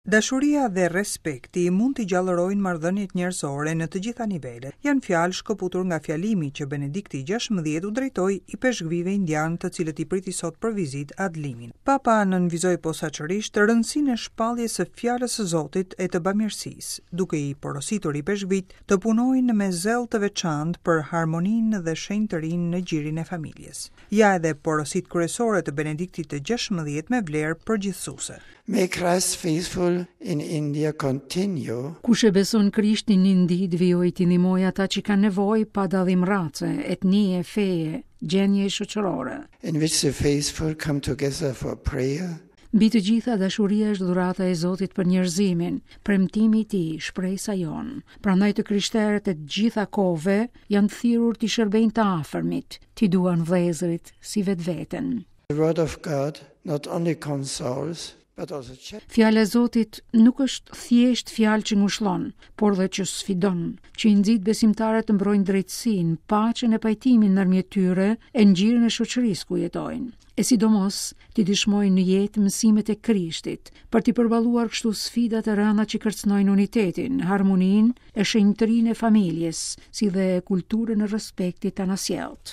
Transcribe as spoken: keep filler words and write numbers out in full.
Dashuria dhe respekti mund t'i gjallërojnë marrëdhëniet njerëzore në të gjitha nivelet. Janë fjalë shkëputur nga fjalimi që Benedikti gjashtëmbëdhjetë u drejtoi ipeshkvijve indian, të cilët i priti sot për vizitë ad limina. Papa nënvizoi posaçërisht rëndësinë e shpalljes së fjalës së Zotit e të bamirësisë, duke i porositur ipeshkvijt të punojnë me zell të veçantë për harmoninë dhe shenjtërinë në gjirin e familjes. Ja edhe porositë kryesore të Benediktit të gjashtëmbëdhjetë me vlerë përgjithësuese. May Christ's faithful in India continue. Kush e beson Krishtin në Indi, të vijojë t'i ndihmojë ata që kanë nevojë pa dallim race, etnie, feje, gjendje shoqërore. In which the faithful come together for prayer. Mbi të gjitha, dashuria është dhurata e Zotit për njerëzimin, premtimi i tij, shpresa jonë. Prandaj të krishterët e të gjitha kohëve janë thirrur t'i shërbejnë të afërmit, t'i duan vëllezërit si vetveten. The word of God not only consoles, but also challenges. Fjala e Zotit nuk është thjesht fjalë që ngushllon, por dhe që sfidon, që i nxit besimtarët të mbrojnë drejtësinë, paqen e pajtimin ndërmjet tyre e në gjirin e shoqërisë ku jetojnë. E sidomos t'i dëshmojnë në jetë mësimet e Krishtit, për t'i përballuar kështu sfidat e rënda që kërcënojnë unitetin, harmoninë e shenjtërinë e familjes, si dhe kulturën e respektit anasjelltë.